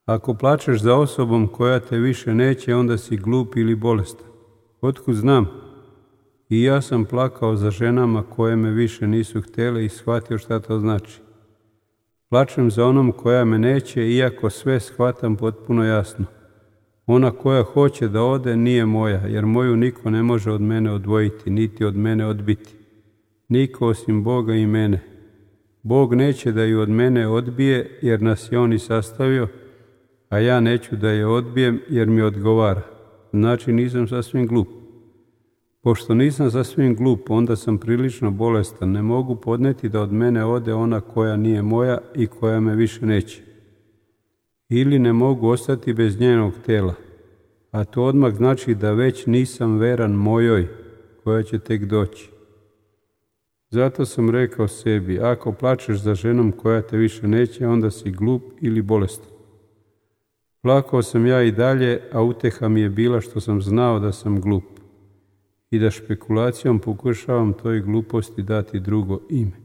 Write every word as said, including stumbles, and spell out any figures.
Ako plačeš za osobom koja te više neće, onda si glup ili bolestan. Otkud znam? I ja sam plakao za ženama koje me više nisu htjele i shvatio šta to znači. Plačem za onom koja me neće, iako sve shvatam potpuno jasno. Ona koja hoće da ode nije moja, jer moju niko ne može od mene odvojiti, niti od mene odbiti. Niko osim Boga i mene. Bog neće da ju od mene odbije, jer nas je On i sastavio, a ja neću da je odbijem, jer mi odgovara. Znači nisam sasvim glup. Pošto nisam sasvim glup, onda sam prilično bolestan. Ne mogu podneti da od mene ode ona koja nije moja i koja me više neće. Ili ne mogu ostati bez njenog tela. A to odmah znači da već nisam veran mojoj, koja će tek doći. Zato sam rekao sebi, ako plačeš za ženom koja te više neće, onda si glup ili bolestan. Plakao sam ja i dalje, a uteha mi je bila što sam znao da sam glup i da špekulacijom pokušavam toj gluposti dati drugo ime.